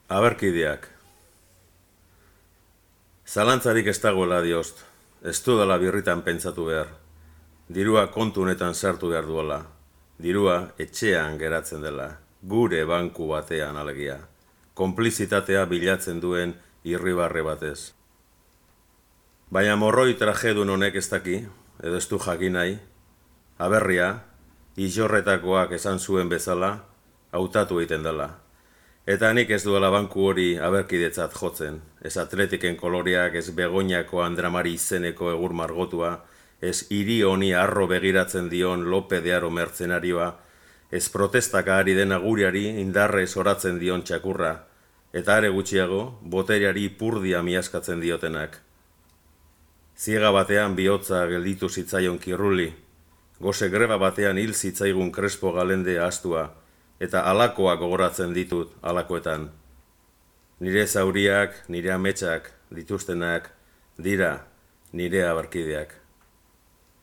Aberkideak. Zalantzarik ez dagoela diost, ez dudala birritan pentsatu behar. Dirua kontu honetan sartu behar duela. Dirua etxean geratzen dela, gure banku batean alegia. Konplizitatea bilatzen duen irribarre batez. Baina morroi trajedun honek ez daki, edo ez du jakin nahi, aberria, izorretakoak esan zuen bezala, hautatu egiten dela. Eta nik ez duela banku hori aberkidetzat jotzen, ez atletiken koloreak, ez Begoñako Andramari izeneko egur margotua, ez hiri honi arro begiratzen dion Lope de Aro mertzenarioa, ez protestaka ari den aguriari indarrez oratzen dion txakurra, eta are gutxiago, boteriari purdia miaskatzen diotenak. Ziega batean bihotza gelditu zitzaion Kirruli, gose greba batean hil zitzaigun Crespo Galende ahaztua, eta alakoak gogoratzen ditut alakoetan. Nire zauriak, nire ametsak dituztenak, dira nire aberkideak.